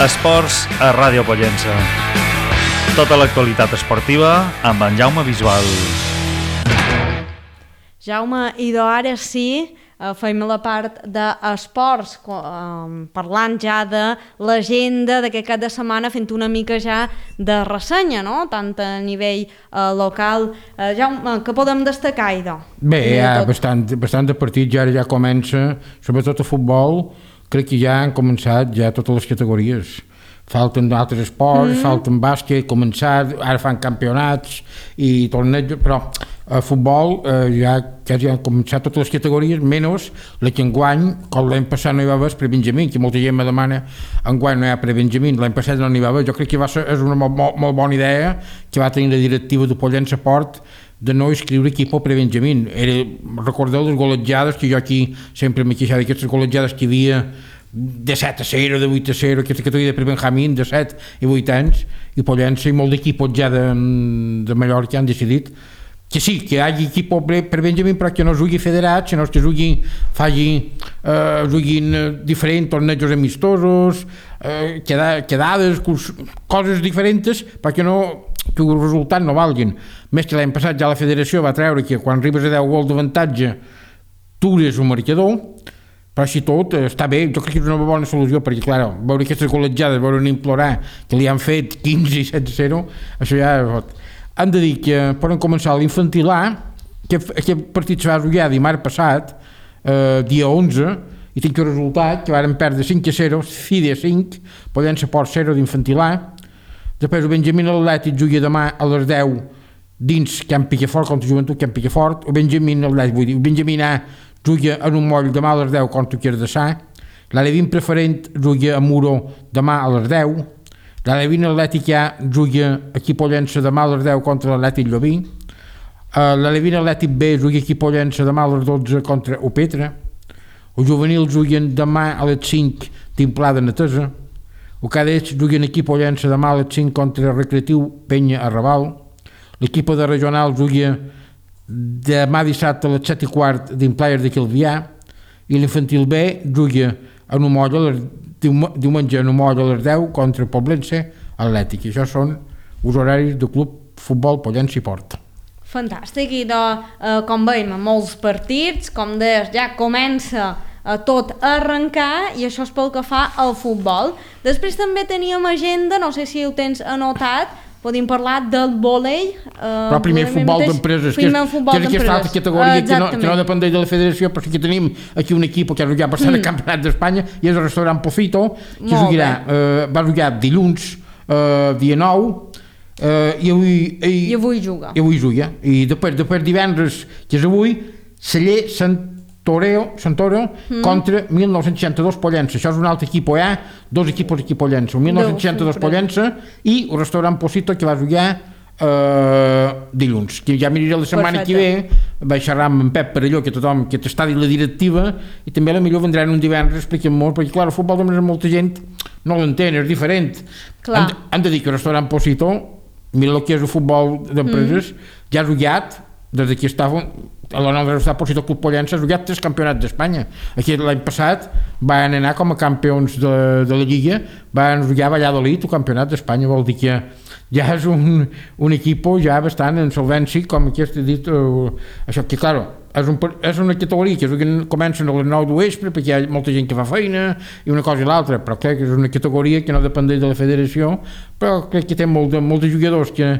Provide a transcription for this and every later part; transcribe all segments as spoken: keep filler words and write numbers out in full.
Esports a Ràdio Pollença. Tota l'actualitat esportiva amb en Jaume Bisbal. Jaume, i ara sí, fem la part d'esports, parlant ja de l'agenda d'aquest cap de setmana, fent una mica ja de ressenya, no? Tant a nivell eh, local. Eh, Jaume, què podem destacar, idò? Bé, hi ha bastant, bastant de partits, ja, ja comença, sobretot a futbol, crec que ja han començat ja totes les categories. Falten d'altres esports, mm. falten bàsquet, començat, ara fan campionats i torneigs, però a futbol eh, ja, ja han començat totes les categories, menys la que enguany, com l'any passat no hi va haver prebenjamí, que molta gent me demana, enguany no hi ha prebenjamí, l'any passat no n'hi va haver, jo crec que va ser, és una molt, molt, molt bona idea que va tenir la directiva de Pollença Port de no escriure equip al prebenjamí. Era, recordeu les golejades, que jo aquí sempre m'he queixat d'aquestes golejades que hi havia de set a zero, de vuit a zero, aquesta categoria de prebenjamí de set i vuit anys, i Pollença i molt d'equips ja de, de Mallorca han decidit que sí, que hi hagi equip per Benjamí, però que no es jugui federat, sinó que es jugui, faci, eh, juguin diferents tornejos amistosos, eh, quedades, coses diferents, perquè no, que els resultats no valguin. Més que l'any passat ja la federació va treure que quan arribes a deu gols d'avantatge tu eres un marcador, però així tot està bé, jo crec que és una bona solució, perquè clar, veure aquestes golejades, veure implorar que li han fet quinze i set a zero, això ja és... Han de dir que poden començar l'infantil A, que aquest partit se va jugar dimarts passat, eh, dia onze, i tinc el resultat que varen perdre cinc a zero, Fide cinc, Pollença Port zero d'infantil A. Després el Benjamí Atlètic juga demà a les deu dins Camp Picafort contra Joventut Camp Picafort. El Benjamí Atlètic, vull dir, el Benjamí A juga en un moll demà a les deu contra Quirdassà. L'Alevin Preferent juga a Muro demà a les deu. L'Alevin Atlètic A juga aquí a Pollença demà a les deu contra l'Atlètic Llobí. L'Alevin Atlètic B juga aquí a Pollença demà a les dotze contra Opetra. Els juvenils juguen demà a les cinc d'Implà de Netesa. Els cadets juguen aquí a Pollença demà a les cinc contra Recreatiu Penya a Raval. L'equip de regional juga demà dissabte a les set i quart d'Implà de Calvià. I l'infantil B juga en un moll a les diumenge en un moll a les deu contra Poblença Atlètic. Això són els horaris del Club Futbol Pollença i Port. Fantàstic, i de, eh, com veiem, molts partits, com deies, ja comença a tot a arrencar, i això és pel que fa al futbol. Després també teníem agenda, no sé si ho tens anotat, podem parlar del vòlei. Eh, però primer futbol d'empreses, que és, que és aquesta altra categoria que no, que no dependeix de la federació, però sí que tenim aquí un equip que ha jugat bastant mm. al Campionat d'Espanya, i és el restaurant Pofito, que jugarà, eh, va jugar dilluns, eh, dia nou, eh, i avui... I, I avui juga. I avui juga. I després, després divendres, que és avui, Celler Sant Toreo, Santoro mm. contra mil nou-cents seixanta-dos Pollença. Això és un altre equip A, dos equipos aquí Pollença. El mil nou-cents seixanta-dos Pollença i el restaurant Pofito, que va jugar eh, dilluns. Que ja miraré la setmana Perfecte. que ve, vaig xerrar amb en Pep Perelló, que tothom, que t'està dit la directiva, i també a la millor vendran un divendres, expliquen molt, perquè clar, el futbol de molta gent no l'entén, és diferent. Han, han de dir que el restaurant Pofito, mira el que és el futbol d'empreses, mm. ja ha jugat, des que estava a la nova Universitat Pofito Club Pollença, ha jugat tres campionats d'Espanya. Aquí l'any passat van anar com a campions de, de la Lliga, van jugar a Valladolid el campionat d'Espanya, vol dir que ja és un, un equip ja bastant en solvència, com aquest he dit, uh, això que, clar, és, un, és una categoria que comencen a les nou de vespre, perquè hi ha molta gent que fa feina, i una cosa i l'altra, però crec que és una categoria que no dependeix de la federació, però crec que té molt de, molts jugadors que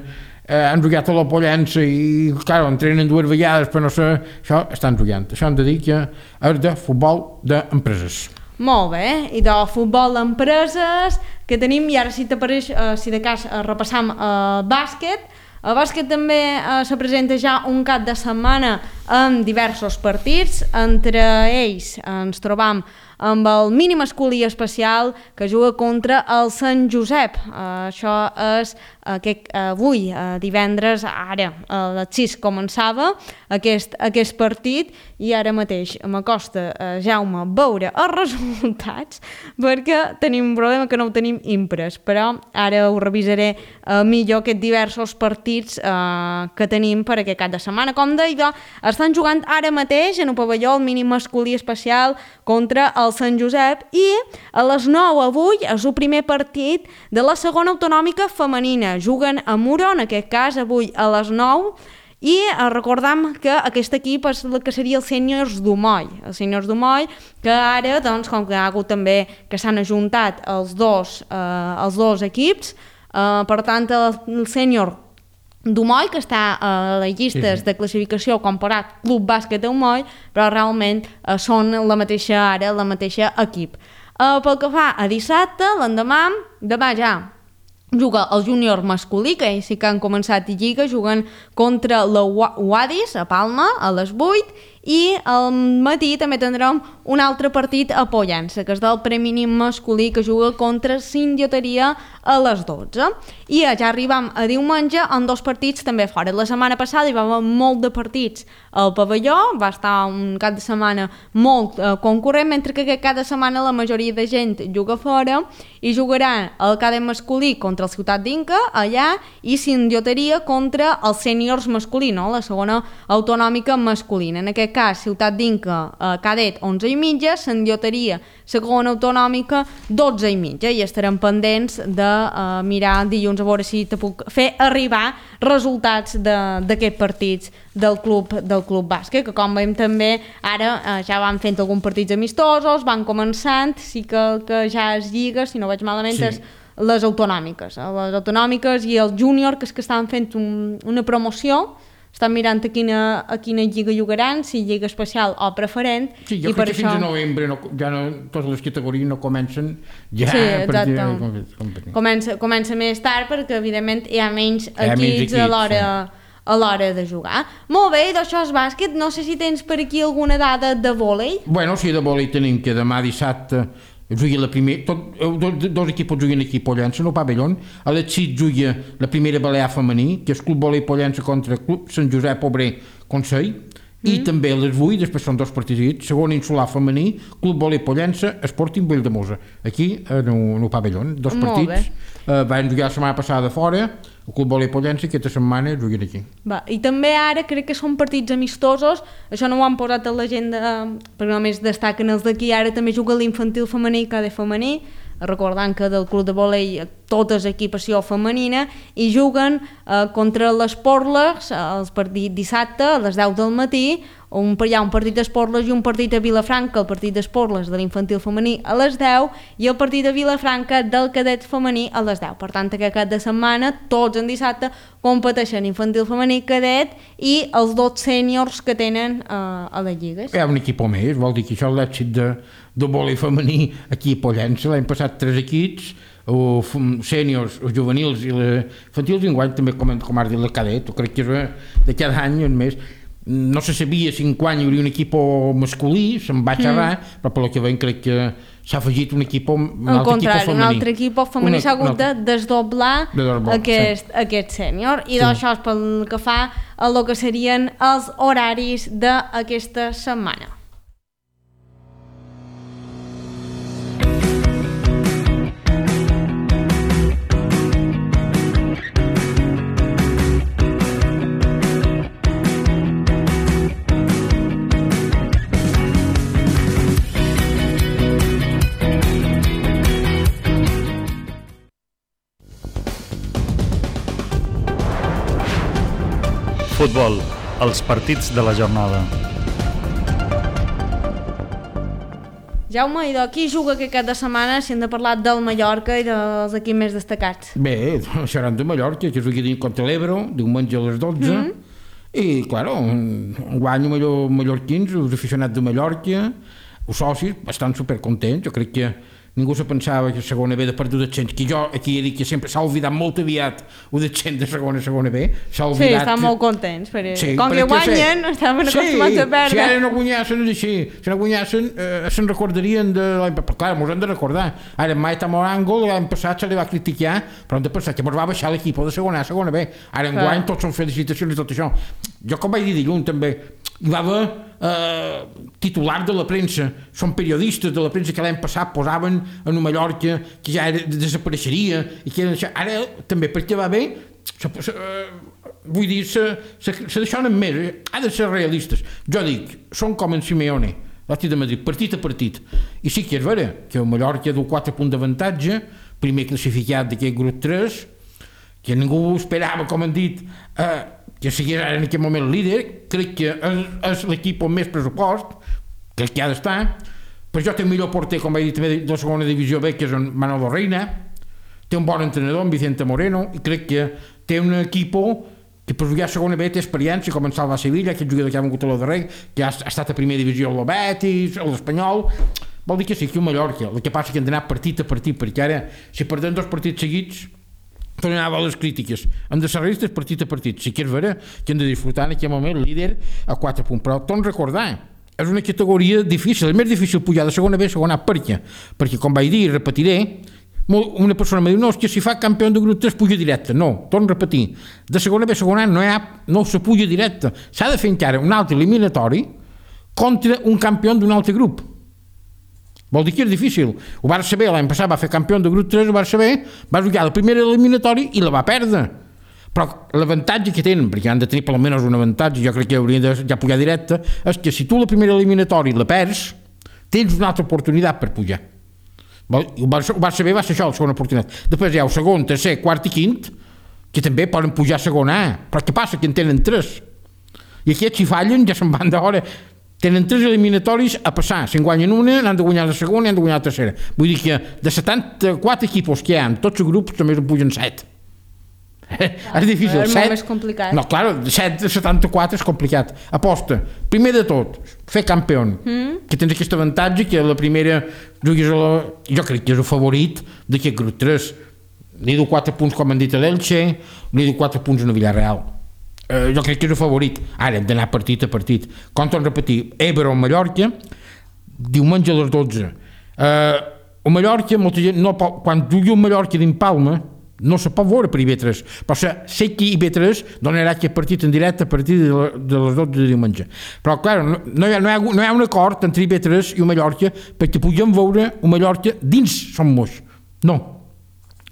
Eh, han jugat a la Pollença i, clar, entrenen dues vegades, però no sé, això estan jugant. Això han de dir que és de futbol d'empreses. Molt bé, i de futbol d'empreses que tenim, i ara si t'apareix, eh, si de cas eh, repassam el eh, bàsquet. El bàsquet també eh, se presenta ja un cap de setmana amb diversos partits, entre ells ens trobam amb el mini masculí especial que juga contra el Sant Josep. Uh, això és aquest, uh, avui, uh, divendres, ara a les sis començava aquest, aquest partit, i ara mateix m'acosta, uh, Jaume, veure els resultats, perquè tenim un problema que no ho tenim imprès, però ara ho revisaré uh, millor, aquests diversos partits uh, que tenim per aquest cap de setmana. Com deia, està estan jugant ara mateix en el pavelló el mínim masculí especial contra el Sant Josep i a les nou avui és el primer partit de la segona autonòmica femenina. Juguen a Muro, en aquest cas avui a les nou, i recordam que aquest equip és el que seria els sèniors d'Umoll, els sèniors d'Umoll, que ara, doncs, com que ha hagut també que s'han ajuntat els dos, eh, els dos equips, eh, per tant, el sènior d'Umoll, que està a les llistes de classificació comparat Club Bàsquet d'Umoll, però realment eh, són la mateixa ara, la mateixa equip. Eh, pel que fa a dissabte, l'endemà, demà ja juga el júnior masculí, que ells sí que han començat lliga, juguen contra la Wadis a Palma a les vuit, i al matí també tindrem un altre partit a Pollença, que és del preminínim masculí, que juga contra Sindioteria a les dotze. I ja arribam a diumenge amb dos partits també fora. La setmana passada hi va haver molt de partits al pavelló, va estar un cap de setmana molt eh, concurrent, mentre que cada setmana la majoria de gent juga fora, i jugaran el cadet masculí contra el Ciutat d'Inca allà, i Sindioteria contra els sèniors masculí, no? La segona autonòmica masculina. En aquest cas, Ciutat d'Inca, eh, cadet onze i mitja, Sindioteria, segona autonòmica, dotze i mitja, i estarem pendents de eh, mirar dilluns a veure si te puc fer arribar resultats d'aquests partits del club del club bàsquet, que com veiem també ara eh, ja van fent alguns partits amistosos, van començant, sí que, que ja es lliga, si no vaig malament, sí. És les autonòmiques, eh? Les autonòmiques i el júnior, que és que estan fent un, una promoció, estan mirant a quina, a quina lliga jugaran, si lliga especial o preferent. Sí, jo i crec per que això... fins a novembre no, ja no, totes les categories no comencen ja sí, a partir de... Comença, comença més tard perquè evidentment hi ha menys hi ha equips, menys equips a l'hora sí. a l'hora de jugar. Molt bé, d'això és bàsquet. No sé si tens per aquí alguna dada de vòlei. Bueno, sí, de vòlei tenim que demà dissabte juga la primera, tot, dos, dos equips juguen aquí a Pollença, no pavellón. A les sis juga la primera balear femení, que és Club Vòlei Pollença contra Club Sant Josep Obrer Consell, mm. i també a les vuit, després són dos partits, segon insular femení, Club Vòlei Pollença, Sporting Valldemossa, aquí no, no pavellón, dos Molt partits. Uh, van jugar la setmana passada fora, el Club Vòlei Pollença, aquesta setmana juguen aquí. Va, i també ara crec que són partits amistosos, això no ho han posat a l'agenda perquè només destaquen els d'aquí, ara també juga l'infantil femení i cadet femení, recordant que del club de vòlei tota és equipació femenina, i juguen eh, contra les Porles el partit dissabte a les deu del matí, on hi ha un partit d'Esporles i un partit a Vilafranca, el partit d'Esporles de l'infantil femení a les deu i el partit de Vilafranca del cadet femení a les deu. Per tant, aquest cap de setmana, tots en dissabte, competeixen infantil femení, cadet i els dos sèniors que tenen eh, a les lligues. Hi ha un equip més, vol dir que això és l'èxit de, de vòlei femení aquí a Pollença. L'any passat tres equips, o sèniors, o juvenils i infantils, i enguany també, com, com has dit, la cadet. Crec que és de cada any en més. No se sabia si enguany hi hauria un equip masculí, se'n va xerrar, mm. però pel que veiem crec que s'ha afegit un equip, un altre equip femení. Un altre equip femení s'ha hagut de desdoblar de aquest, sí. aquest sènior. I sí. D'això és pel que fa a el que serien els horaris d'aquesta setmana. Futbol, els partits de la jornada. Jaume, i d'aquí juga aquest cap de setmana si hem de parlar del Mallorca i dels equips més destacats? Bé, seran de Mallorca, que jugui contra l'Ebro, diumenge a les dotze, mm. i, claro, guanyo millor mallorquins, els aficionats de Mallorca, els socis, estan supercontents. Jo crec que ningú se pensava que segona B de per descens, que jo aquí he dit que sempre s'ha oblidat molt aviat el descens de segona segona B, s'ha oblidat... Sí, estan molt contents, perquè sí, com que guanyen, sí. Estaven acostumats sí, a perdre. Si ara no guanyassin és així, si no guanyassin eh, se'n recordarien de l'any passat, clar, mos hem de recordar, ara mai està Morango, l'any passat se li va criticar, però hem de pensar que mos va baixar l'equip de segona a segona B, ara en guany tots són felicitacions i tot això. Jo com vaig dir dilluns també, hi va haver eh, titulars de la premsa, són periodistes de la premsa que l'any passat posaven en una Mallorca que ja era, desapareixeria i que eren això. Ara també perquè va bé vull dir, se, se, se deixonen més, ha de ser realistes. Jo dic, són com en Simeone, l'Atlètic de Madrid, partit a partit. I sí que és vera, que el Mallorca du quatre punts d'avantatge, primer classificat d'aquest grup tres, que ningú esperava, com han dit, eh, que sigués en aquest moment líder. Crec que és, és l'equip amb més pressupost, crec que ha d'estar. Per això té el millor porter, com vaig dir també, de la segona divisió B, que és en Manolo Reina. Té un bon entrenador, en Vicente Moreno, i crec que té un equip que per jugar a segona B té experiència, com en Salva Sevilla, aquest jugador que ha vengut a lo darrer, que ha, ha estat a primera divisió al Betis, a l'Espanyol. Vol dir que sí, aquí a Mallorca. El que passa que hem d'anar partit a partit, perquè ara, si perdem dos partits seguits, tornem a les crítiques. Hem de ser realistes partit a partit. Sí que és vera que hem de disfrutar en aquest moment líder a quatre punts. Però torno a recordar, és una categoria difícil, és més difícil pujar de segona B a segona A. Per què? Perquè, com vaig dir i repetiré, una persona em diu, no, és que si fa campió de grup tres puja directe. No, torno a repetir, de segona B a segona A no, ha, no se puja directe. S'ha de fer encara un altre eliminatori contra un campió d'un altre grup. Vol dir que és difícil. Ho va saber, l'any passat va fer campió de grup tres, ho va saber, va jugar el primer eliminatori i la va perdre. Però l'avantatge que tenen, perquè han de tenir per almenys un avantatge, jo crec que haurien de ja pujar directe, és que si tu la primera eliminatori la perds, tens una altra oportunitat per pujar. Ho va saber, va ser això, la segona oportunitat. Després hi ha el segon, tercer, quart i quint, que també poden pujar a segona A. Però què passa? Que en tenen tres. I aquests, si fallen, ja se'n van d'hora. Tenen tres eliminatoris a passar. Si en guanyen una, n'han de guanyar la segona i han de guanyar la tercera. Vull dir que de setanta-quatre equipos que hi ha en tots els grups, també en pugen set. Ah, és difícil. És molt més complicat. No, clar, set de setanta-quatre és complicat. Aposta. Primer de tot, fer campió. Mm. Que tens aquest avantatge que la primera juguis a la... Jo crec que és el favorit d'aquest grup tres. Li du quatre punts, com han dit a l'Elche, li du quatre punts a Villarreal. Uh, jo crec que és el favorit. Ara hem d'anar partit a partit. Com torno a repetir, Eibar o Mallorca, diumenge a les dotze. Uh, o Mallorca, molta gent, no, quan jugui un Mallorca d'Impalma, no se pot veure per I B tres, però sé que I B tres donarà aquest partit en directe a partir de, de les dotze de diumenge. Però, clar, no, no, hi ha, no, hi ha, no hi ha un acord entre I B tres i un Mallorca perquè puguem veure un Mallorca dins Som Moix. No,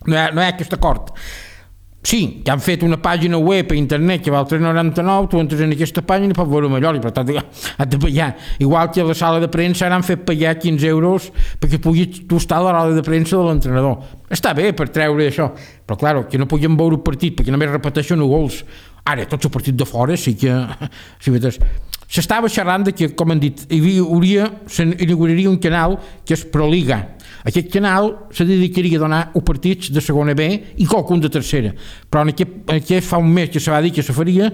no hi ha, no hi ha aquest acord. Sí, que han fet una pàgina web a internet que val tres noranta-nou, tu entres en aquesta pàgina i pots veure Mallorca, per tant, has de pagar. Igual que a la sala de premsa ara han fet pagar quinze euros perquè puguis tu estar a la roda de premsa de l'entrenador. Està bé per treure això, però clar, que no puguem veure el partit perquè només repeteixen els gols. Ara, tots els partits de fora sí que... Sí, s'estava xerrant de que, com han dit, hi hauria, s'inauguraria un canal que és Proliga. Aquest canal se dedicaria a donar els partits de segona B i qualcun de tercera. Però en aquest, en aquest fa un mes que se va dir que se faria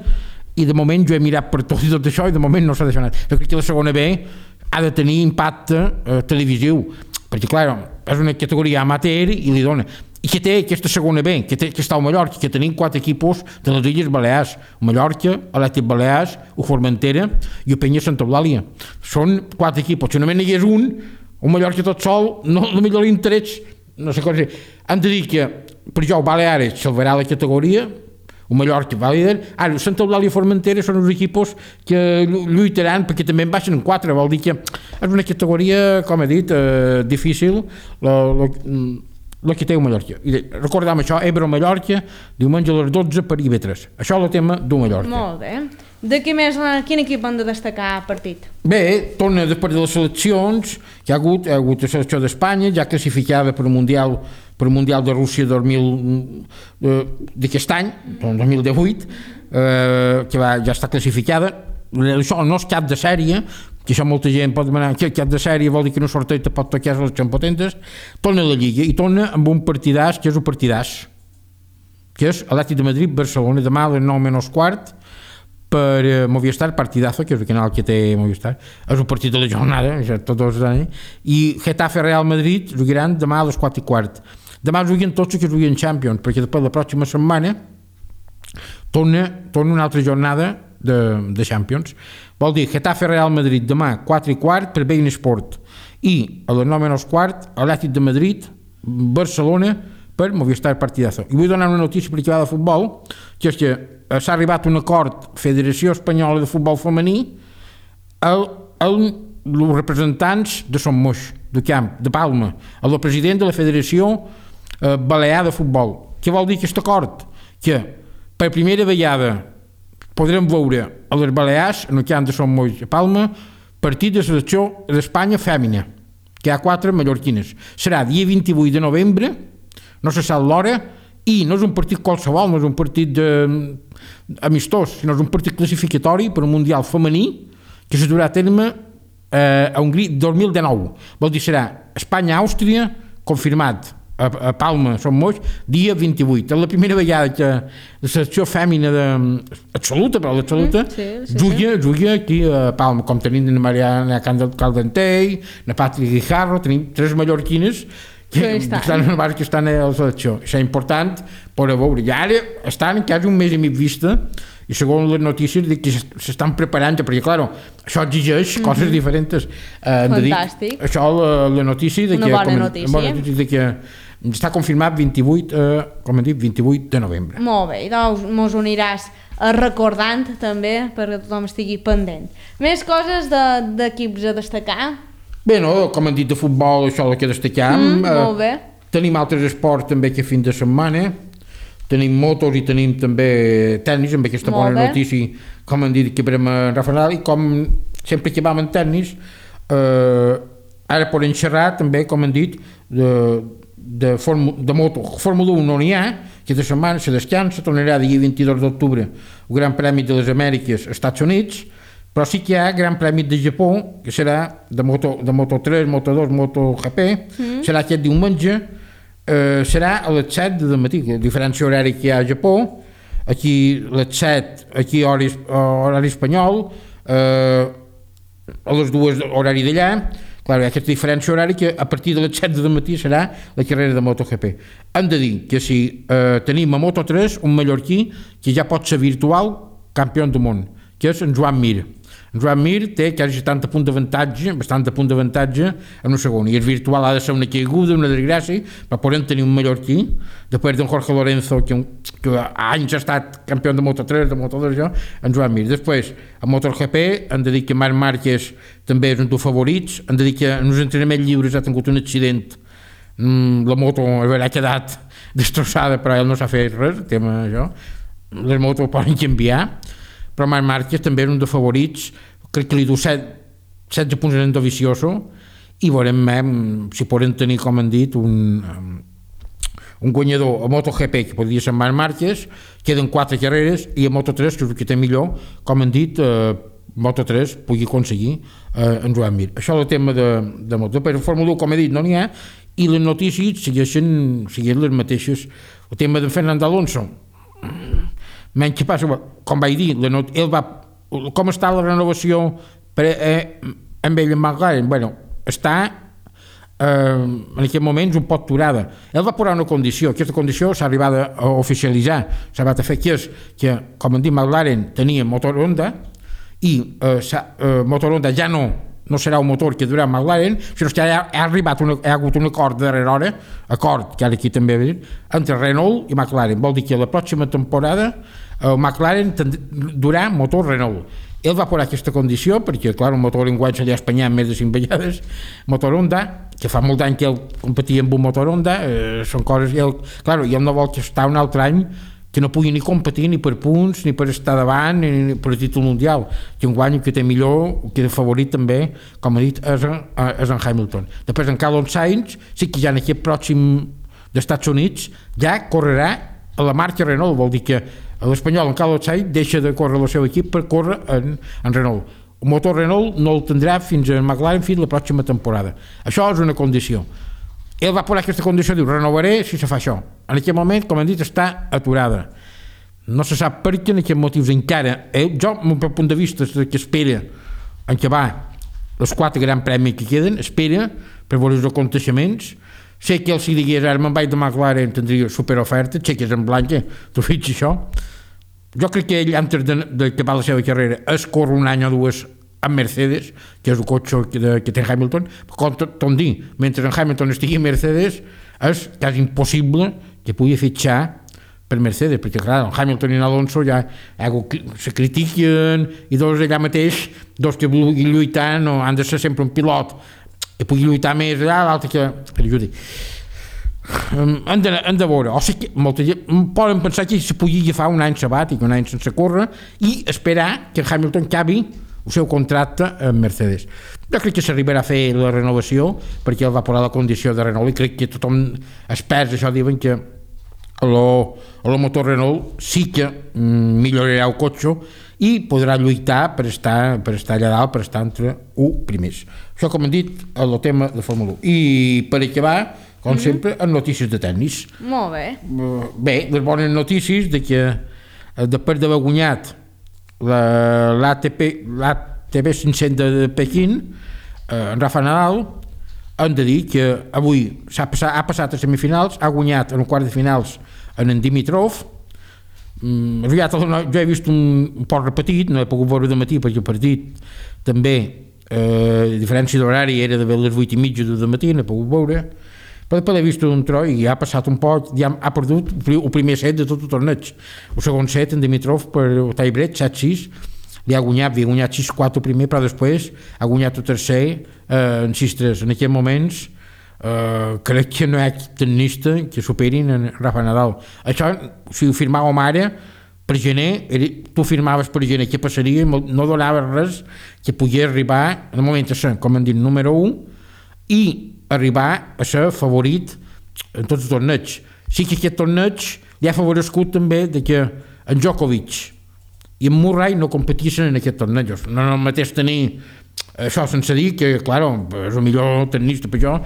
i de moment jo he mirat per tot i tot això i de moment no s'ha deixat. Jo crec que la segona B ha de tenir impacte eh, televisiu, perquè clar, és una categoria amateur i li dona. I que té aquesta segona B, que, té, que està al Mallorca, que tenim quatre equipos de les Illes Balears, el Mallorca, l'Atlètic Balears, el Formentera i el Penya Santa Eulàlia. Són quatre equipos, si només n'hi hagués un, un Mallorca tot sol, no, no millor l'interès, no sé com dir. Han de dir que, per jo, el Baleares salvarà la categoria, el Mallorca va líder, ara, Santa Eulàlia i Formentera són uns equipos que lluitaran perquè també en baixen en quatre, vol dir que és una categoria, com he dit, eh, difícil, la, la, la que té el Mallorca. I recordem això, Eibar o Mallorca, diumenge a les dotze per I B tres. Això és el tema d'un Mallorca. Molt bé. De què més, quin equip han de destacar partit? Bé, torna després de les seleccions, hi ha hagut, hi ha hagut la selecció d'Espanya, ja classificada per el Mundial, per el Mundial de Rússia dos mil, eh, d'aquest any, dos mil divuit, eh, que va, ja està classificada. Això no és cap de sèrie, que això molta gent pot demanar, que cap de sèrie vol dir que no sorteig te pot tocar les potentes. Torna a la Lliga i torna amb un partidàs, que és un partidàs, que és Atlètic de Madrid, Barcelona, demà a les nou menys quart, per uh, Movistar, partidazo, que és el canal que té Movistar, és un partit de la jornada, ja tots els anys, i Getafe Real Madrid jugaran demà a les quatre i quart. Demà juguen tots els que juguen Champions, perquè després la pròxima setmana torna, torna una altra jornada de, de Champions. Vol dir Getafe Real Madrid demà quatre i quart per Bein Sport i a les nou menys quart Atlètic de Madrid, Barcelona per Movistar, partidazo. I vull donar una notícia per equipada de futbol, que és que s'ha arribat a un acord Federació Espanyola de Futbol Femení els representants de Som Moix, de Camp, de Palma, el president de la Federació eh, Balear de Futbol. Què vol dir aquest acord? Que per primera vegada podrem veure a les Balears, en el camp de Sant Moix a Palma, partit de selecció d'Espanya fèmina, que hi ha quatre mallorquines. Serà dia vint-i-vuit de novembre, no se sap l'hora, i no és un partit qualsevol, no és un partit de, amistós, sinó és un partit classificatori per un Mundial femení que se durà a terme eh, a Hongria dos mil dinou. Vol dir, serà Espanya-Àustria, confirmat a, a Palma, Sant Moix, dia vint-i-vuit. És la primera vegada que la selecció fèmina de, absoluta, però l'absoluta, mm, sí, sí, juga, sí. juga aquí a Palma, com tenim la Mariana Caldentei, la Patri Guijarro, tenim tres mallorquines que estan en el que estan a la selecció. Això és important per a veure. I ara estan quasi un mes i mig vista i segons les notícies dic que s'estan preparant, perquè clar, això exigeix mm-hmm. coses diferents. Eh, Fantàstic. Dir, això la, la notícia de una que, bona com, notícia. bona notícia de que està confirmat vint-i-vuit, eh, com hem dit, vint-i-vuit de novembre. Molt bé, doncs mos ho aniràs recordant també perquè tothom estigui pendent. Més coses d'equips a destacar? Bé, no, com hem dit de futbol, això és el que destaquem. Mm, molt bé. Eh, tenim altres esports també que fin de setmana. Tenim motos i tenim també tennis, amb aquesta molt bona bé. notícia, com hem dit, que veurem a Rafa Nadal, i com sempre que vam en tennis, eh, ara podem xerrar també, com hem dit, de, de, formu, de moto. Fórmula un no n'hi ha, aquesta setmana se descansa, tornarà dia vint-i-dos d'octubre el Gran Premi de les Amèriques als Estats Units, però sí que hi ha Gran Premi de Japó, que serà de Moto, de Moto tres, Moto dos, MotoGP, mm. serà aquest diumenge, eh, serà a les set del matí, la diferència horària que hi ha a Japó, aquí a les set, aquí horari, horari espanyol, eh, a les dues horari d'allà, clar, hi ha aquesta diferència horària que a partir de les set del matí serà la carrera de MotoGP. Hem de dir que si eh, tenim a Moto tres un mallorquí que ja pot ser virtual campió del món, que és en Joan Mir. En Joan Mir té quasi setanta punts d'avantatge, bastant de punts d'avantatge en un segon, i el virtual ha de ser una caiguda, una desgràcia, però podem tenir un mallorquí, després d'en Jorge Lorenzo, que, que anys ha estat campió de Moto tres, de Moto dos, en Joan Mir. Després, a MotoGP, hem de dir que Marc Márquez també és un dels favorits, hem de dir que en els entrenaments lliures ha tingut un accident, la moto ha quedat destrossada, però ell no s'ha fet res, el tema això, les motos poden canviar, però Marc Márquez també és un dels favorits, crec que li du setze punts en Dovizioso, i veurem eh, si podem tenir, com han dit, un, un guanyador a MotoGP, que podria ser Marc Márquez, queden quatre carreres, i a Moto tres, que és el que té millor, com han dit, eh, Moto tres pugui aconseguir eh, en Joan Mir. Això és el tema de, de Moto. Però Fórmula un, com he dit, no n'hi ha, i les notícies segueixen, segueixen les mateixes. El tema de Fernando Alonso, menys que passa, com vaig dir, la not- ell va, com està la renovació per, eh, amb ell en McLaren? Bueno, està eh, en aquest moment un poc aturada. Ell va posar una condició, aquesta condició s'ha arribat a oficialitzar, s'ha arribat a fer, que és que, com hem dit, McLaren tenia motor Honda i eh, eh, motor Honda ja no no serà un motor que durarà McLaren, sinó que ha, ha arribat una, ha hagut un acord de darrera hora, acord, que ara aquí també ve, entre Renault i McLaren. Vol dir que la pròxima temporada el McLaren durarà motor Renault. Ell va posar aquesta condició perquè, clar, un motor en guany se li ha espanyat més de cinc vegades, motor Honda, que fa molt d'any que ell competia amb un motor Honda, eh, són coses, i ell, clar, i ell no vol que està un altre any que no pugui ni competir ni per punts, ni per estar davant, ni, ni per el títol mundial, que un guany que té millor, que és favorit també, com ha dit, és en, és en Hamilton. Després en Carlos Sainz, sí que ja en aquest pròxim d'Estats Units ja correrà a la marca Renault, vol dir que l'espanyol en Carlos Sainz deixa de córrer el seu equip per córrer en, en Renault. El motor Renault no el tindrà fins a McLaren fins la pròxima temporada. Això és una condició. Ell va posar aquesta condició, diu, renovaré si se fa això. En aquest moment, com hem dit, està aturada. No se sap per què, en aquests motius encara. Eh, jo, del meu punt de vista, que espera en què va els quatre grans premis que queden, espera per veure els aconteixements. Sé que ell, si digués, ara me'n vaig de McLaren, tindria superoferta, xeques en blanca, tu fixes això. Jo crec que ell, antes d'acabar la seva carrera, es corre un any o dues amb Mercedes, que és el cotxe que, de, que té Hamilton, com tot dir, mentre en Hamilton estigui en Mercedes, és quasi impossible que pugui fitxar per Mercedes, perquè clar, en Hamilton i en Alonso ja se critiquen, i dos allà mateix, dos que vulguin lluitar, no han de ser sempre un pilot que pugui lluitar més allà, l'altre que, que ajudi. hem de, hem de veure, o sigui, molta gent poden pensar que se podia agafar un any sabàtic, un any sense córrer i esperar que Hamilton acabi el seu contracte amb Mercedes. Jo crec que s'arribarà a fer la renovació perquè ell va posar la condició de Renault i crec que tothom experts això diuen que el motor Renault sí que millorarà el cotxe i podrà lluitar per estar, per estar allà dalt, per estar entre u primers. Això, com hem dit, és el tema de Fórmula u. I per acabar, com mm-hmm. sempre, en notícies de tennis. Molt bé. Bé, les bones notícies de que després d'haver guanyat l'A T P cinc-cents de Pequín, en Rafa Nadal, hem de dir que avui s'ha passat, ha passat a semifinals, ha guanyat en un quart de finals en en Dimitrov. Mm, jo he vist un, un poc repetit, no he pogut veure de matí perquè el partit també, eh, a diferència d'horari, era de les vuit i mitja de matí, no he pogut veure, però després he vist un tro i ha passat un poc, ja ha perdut el primer set de tot el torneig. El segon set, en Dimitrov, per el tiebreak, set sis, li ha guanyat, havia guanyat sis quatre primer, però després ha guanyat el tercer eh, en sis tres. En aquests moments Uh, crec que no hi ha tennista que superin en Rafa Nadal. Això, si ho firmàvem ara, per gener, tu firmaves per gener què passaria, no donava res que pogués arribar, en el moment a ser, com hem dit, número un i arribar a ser favorit en tots els torneigs. Sí que aquest torneig li ha favorescut també de que en Djokovic i en Murray no competissin en aquest torneig. No és el mateix tenir això sense dir que, clar, és el millor tennista per jo,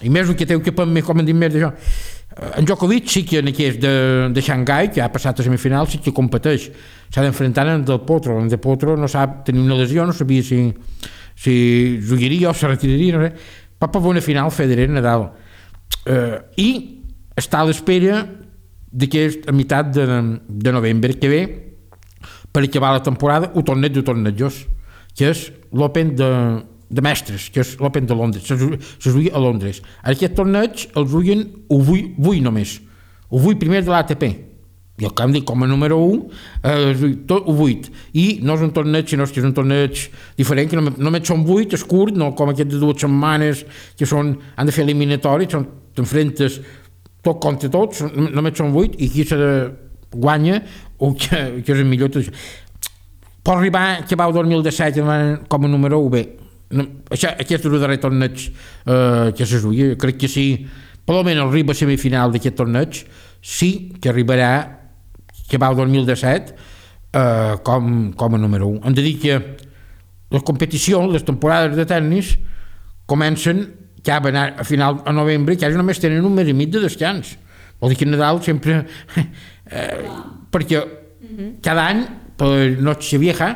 i més el que té que per mi, com hem dit més d'això. En Djokovic sí que en aquest de, de Xangai, que ha passat a semifinal, sí que competeix. S'ha d'enfrontar en Del Potro. En Del Potro no sap tenir una lesió, no sabia si, si jugaria o se retiraria, no sé. Va per una final Federer Nadal. Eh, I està a l'espera d'aquest a meitat de, de novembre que ve per acabar la temporada el torneig de tornejos, que és l'Open de de mestres, que és l'Open de Londres, se juga a Londres. Aquest torneig el juguen avui només, avui primer de l'A T P, i el canvi com a número un, eh, tot vuit, i no és un torneig, sinó que és un torneig diferent, que només són vuit, és curt, no com aquest de dues setmanes, que són, han de fer eliminatoris, t'enfrentes tot contra tots, només són vuit, i qui se guanya, o que, que és el millor. Pot arribar que va el dos mil disset com a número un, bé, no, això, aquest és el darrer torneig eh, que se juga, crec que sí, per almenys arriba a semifinal d'aquest torneig, sí que arribarà que va el dos mil disset eh, com, com a número un. Hem de dir que les competicions, les temporades de tennis comencen ja van a final de novembre, que ja només tenen un mes i mig de descans. Vol dir que Nadal sempre eh, perquè cada any per Noche Vieja,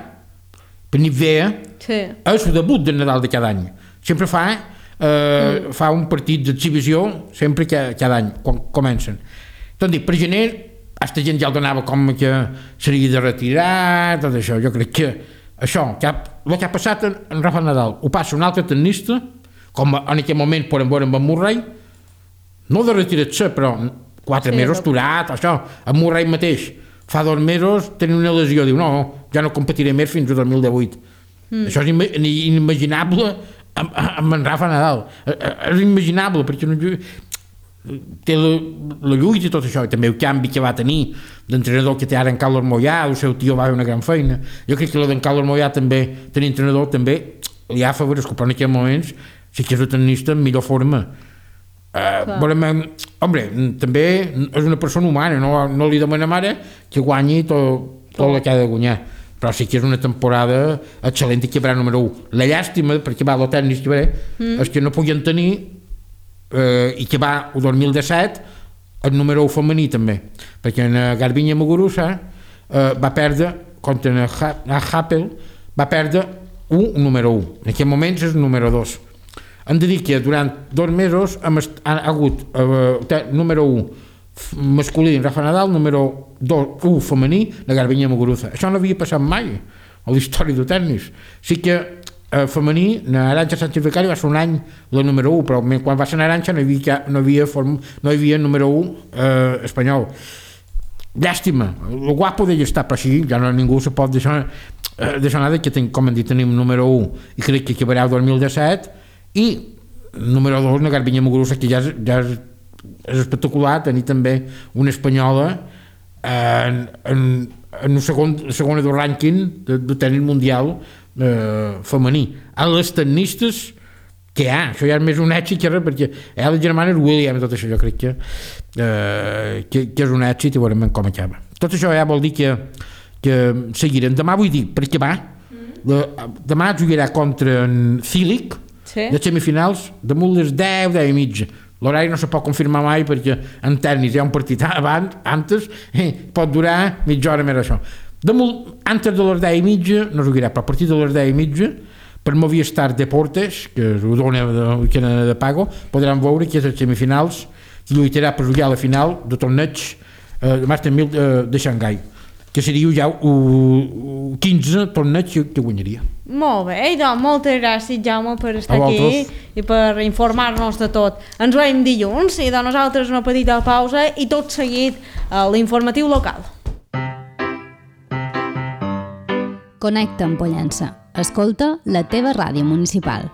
per nit vella, sí. És el debut de Nadal de cada any. Sempre fa, eh, mm. fa un partit d'exhibició, sempre que, cada any, quan comencen. Doncs dic, per gener, aquesta gent ja el donava com que seria de retirar, tot això. Jo crec que això, que ha, el que ha passat en, en Rafa Nadal, ho passa un altre tennista, com en aquell moment podem veure amb en Murray, no de retirar-se, però quatre sí, mesos aturat, això, en Murray mateix, fa dos mesos tenia una lesió, diu no, ja no competiré més fins al dos mil divuit. Mm. Això és inimaginable amb, amb en Rafa Nadal. És inimaginable perquè no, té la, la lluita i tot això, i també el canvi que va tenir d'entrenador que té ara en Carlos Moyà, el seu tio va fer una gran feina. Jo crec que la d'en Carlos Moyà també, tenir entrenador també li ha favorescut, però en aquests moments sí que és el tennista en millor forma. Uh, volem, home, també és una persona humana, no, no li demanem ara que guanyi tot, tot el que ha de guanyar, però sí que és una temporada excel·lent i que haurà número un. La llàstima, perquè va el tennis que ve, mm. és que no podien tenir eh, i que va el dos mil disset el número un femení també, perquè en Garbiñe Muguruza eh, va perdre contra en Happel, va perdre un número un, en aquest moment és el número dos. Hem de dir que durant dos mesos hem ha hagut eh, número un masculí en Rafa Nadal, número dos, un femení de Garbiñe Muguruza. Això no havia passat mai a la història del tennis. Sí que eh, femení, Arantxa Sánchez Vicario va ser un any la número un, però quan va ser Arantxa no hi havia, no havia, form, no hi havia número un eh, espanyol. Llàstima, el guapo d'ell està, però sí, ja no ningú se pot deixar, eh, deixar nada, que ten, com hem dit, tenim número un i crec que acabarà el dos mil disset, i número dos, la Garbiñe Muguruza, que ja és, ja és és espectacular tenir també una espanyola en, en, en el segon, segona del rànquing de, de tenis mundial eh, femení. A les tennistes que hi ha, això ja és més un èxit que res, perquè hi ha la germana Williams, tot això jo crec que, eh, que, que és un èxit i veurem com acaba. Tot això ja vol dir que, que seguirem. Demà vull dir, perquè va, la, demà jugarà contra en Cilic, sí. De semifinals, damunt les deu, deu i mitja. L'horari no se pot confirmar mai perquè en tennis hi ha un partit abans, antes, eh, pot durar mitja hora més això. Damunt, antes de les deu i mitja, no jugarà, però a partir de les deu i mitja, per Movistar Deportes, que ho dona de, que de pago, podran veure que és les semifinals i lluitarà per jugar a la final de torneig eh, de Master mil eh, de Xangai, que seria ja el quinze torneig que guanyaria. Molt bé, i doncs moltes gràcies, Jaume, per estar aquí i per informar-nos de tot. Ens veiem dilluns i de nosaltres una petita pausa i tot seguit a l'informatiu local. Connecta amb Pollença. Escolta la teva ràdio municipal.